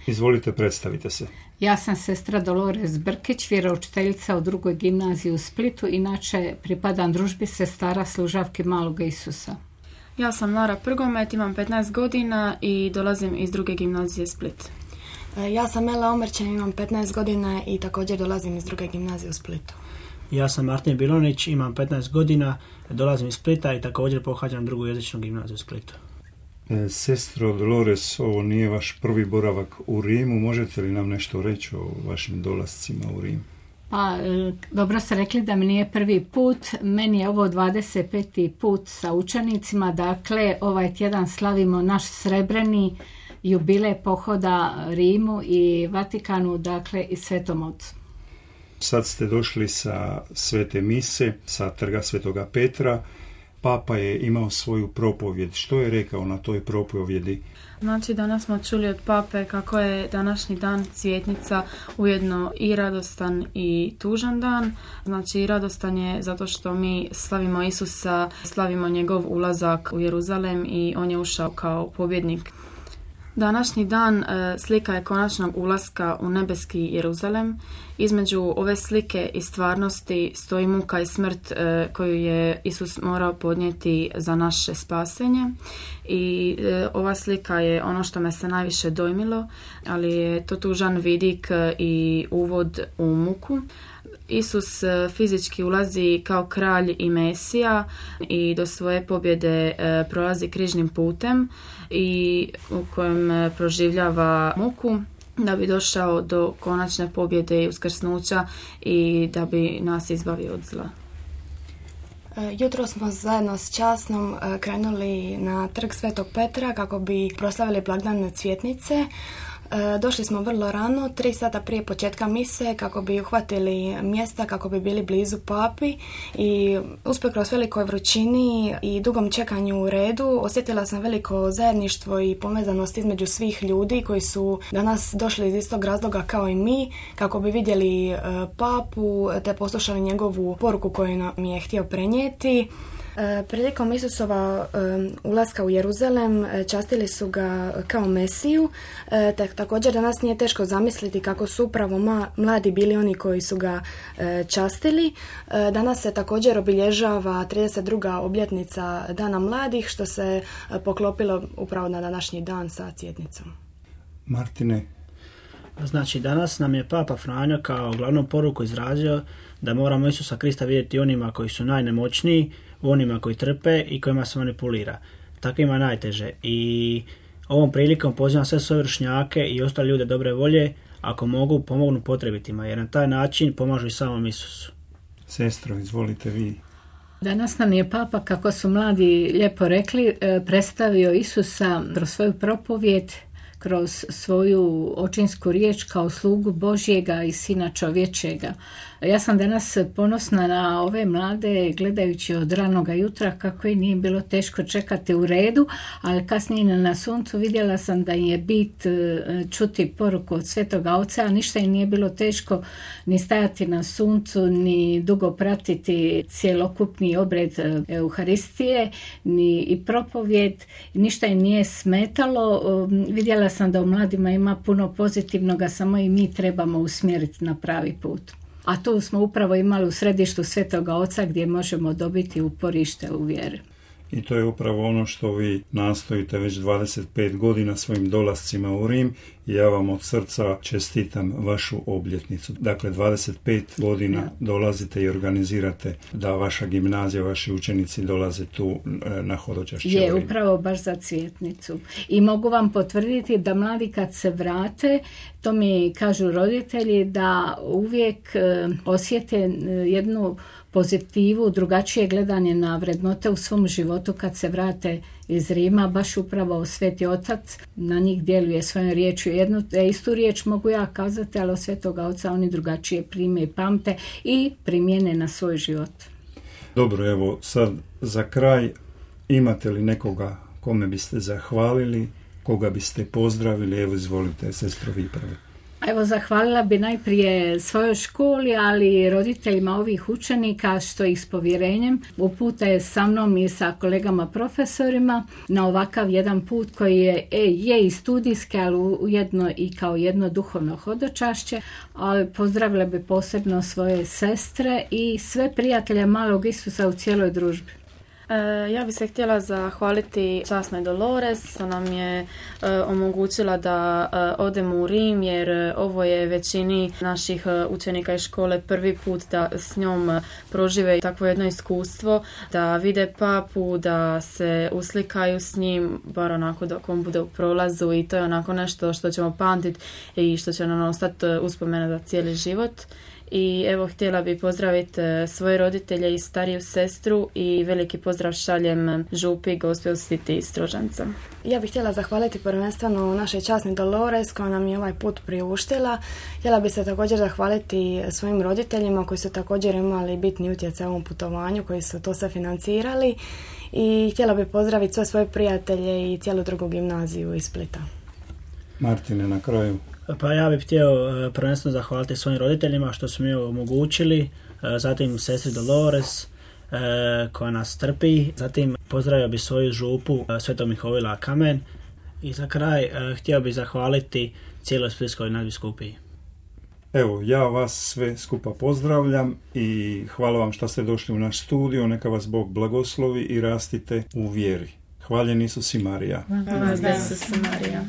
Izvolite, predstavite se. Ja sam sestra Dolores Brkić, vjeroučiteljica u drugoj gimnaziji u Splitu, inače pripadam družbi sestara služavki Maloga Isusa. Ja sam Lara Prgomet, imam 15 godina i dolazim iz druge gimnazije Split. Ja sam Ela Omerčan, imam 15 godina i također dolazim iz druge gimnazije u Splitu. Ja sam Martin Bilonić, imam 15 godina, dolazim iz Splita i također pohađam drugu jezičnu gimnaziju u Splitu. Sestro Dolores, ovo nije vaš prvi boravak u Rimu. Možete li nam nešto reći o vašim dolascima u Rim? Pa, dobro ste rekli da mi nije prvi put. Meni je ovo 25. put sa učenicima. Dakle, ovaj tjedan slavimo naš srebreni jubilej pohoda Rimu i Vatikanu, dakle i Svetom Ocu. Sad ste došli sa Svete mise, sa trga Svetoga Petra. Papa je imao svoju propovjed. Što je rekao na toj propovjedi? Znači, danas smo čuli od pape kako je današnji dan cvjetnica ujedno i radostan i tužan dan. Znači, radostan je zato što mi slavimo Isusa, slavimo njegov ulazak u Jeruzalem i on je ušao kao pobjednik. Današnji dan slika je konačnog ulaska u nebeski Jeruzalem. Između ove slike i stvarnosti stoji muka i smrt koju je Isus morao podnijeti za naše spasenje. I ova slika je ono što me se najviše dojmilo, ali je to tužan vidik i uvod u muku. Isus fizički ulazi kao kralj i Mesija i do svoje pobjede prolazi križnim putem i u kojem proživljava muku da bi došao do konačne pobjede i uskrsnuća i da bi nas izbavio od zla. Jutro smo zajedno s časnom krenuli na trg Svetog Petra kako bi proslavili blagdan cvjetnice. Došli smo vrlo rano, 3 sata prije početka mise, kako bi uhvatili mjesta, kako bi bili blizu papi i usprkos velikoj vrućini i dugom čekanju u redu osjetila sam veliko zajedništvo i povezanost između svih ljudi koji su danas došli iz istog razloga kao i mi, kako bi vidjeli papu te poslušali njegovu poruku koju nam je htio prenijeti. Prilikom Isusova ulaska u Jeruzalem častili su ga kao Mesiju, također danas nije teško zamisliti kako su upravo mladi bili oni koji su ga častili. Danas se također obilježava 32. obljetnica Dana mladih, što se poklopilo upravo na današnji dan sa cvjetnicom. Martine? Znači, danas nam je Papa Franjo kao glavnu poruku izrazio da moramo Isusa Krista vidjeti onima koji su najnemoćniji, onima koji trpe i kojima se manipulira. Takvima najteže. I ovom prilikom pozivam sve svoje vršnjake i ostale ljude dobre volje, ako mogu, pomognu potrebitima, jer na taj način pomažu i samom Isusu. Sestro, izvolite vi. Danas nam je Papa, kako su mladi lijepo rekli, predstavio Isusa kroz svoju propovjed, kroz svoju očinsku riječ kao slugu Božjega i Sina čovječega. Ja sam danas ponosna na ove mlade, gledajući od ranoga jutra kako i nije bilo teško čekati u redu, ali kasnije na suncu vidjela sam da je bit čuti poruku od Svetoga Oca, a ništa im nije bilo teško ni stajati na suncu, ni dugo pratiti cjelokupni obred Euharistije, ni i propovjed, ništa im nije smetalo. Vidjela sam da u mladima ima puno pozitivnoga, samo i mi trebamo usmjeriti na pravi put. A tu smo upravo imali u središtu Svetoga Oca gdje možemo dobiti uporište u vjeri. I to je upravo ono što vi nastojite već 25 godina svojim dolascima u Rim i ja vam od srca čestitam vašu obljetnicu. Dakle, 25 godina dolazite i organizirate da vaša gimnazija, vaši učenici dolaze tu na hodočašće. Je, upravo baš za cvjetnicu. I mogu vam potvrditi da mladi kad se vrate, to mi kažu roditelji, da uvijek osjete jednu pozitivu, drugačije gledanje na vrednote u svom životu kad se vrate iz Rima. Baš upravo Sveti Otac na njih djeluje svojom riječju. Jednu istu riječ mogu ja kazati, ali od Svetoga Oca oni drugačije prime i pamte i primjene na svoj život. Dobro, evo sad za kraj, imate li nekoga kome biste zahvalili, koga biste pozdravili? Evo, izvolite, sestro, vi prvi. A Evo, zahvalila bi najprije svojoj školi, ali i roditeljima ovih učenika što ih s povjerenjem upute sa mnom i sa kolegama profesorima na ovakav jedan put koji je i studijski, ali ujedno i kao jedno duhovno hodočašće. Ali pozdravila bi posebno svoje sestre i sve prijatelje malog Isusa u cijeloj družbi. Ja bih se htjela zahvaliti časnoj Dolores, što nam je omogućila da odemo u Rim, jer ovo je većini naših učenika iz škole prvi put da s njom prožive takvo jedno iskustvo, da vide papu, da se uslikaju s njim, bar onako dok on bude u prolazu, i to je onako nešto što ćemo pamtiti i što će nam ostati uspomena za cijeli život. I evo, htjela bi pozdraviti svoje roditelje i stariju sestru i veliki pozdrav šaljem župi Gospel City iz Strožanca. Ja bih htjela zahvaliti prvenstveno našoj časni Dolores koja nam je ovaj put priuštila. Htjela bi se također zahvaliti svojim roditeljima koji su također imali bitni utjecaj u ovom putovanju, koji su to sve financirali, i htjela bi pozdraviti sve svoje prijatelje i cijelu drugu gimnaziju iz Splita. Martine, na kraju. Pa ja bih htio prvenstveno zahvaliti svojim roditeljima što su mi omogućili, zatim sestri Dolores koja nas trpi, zatim pozdravio bih svoju župu Svetog Mihovila Kamen i za kraj htio bih zahvaliti cijeloj Splitskoj nadbiskupiji. Evo, ja vas sve skupa pozdravljam i hvala vam što ste došli u naš studio, neka vas Bog blagoslovi i rastite u vjeri. Hvaljen Isus i Marija. Hvala Isus i Marija.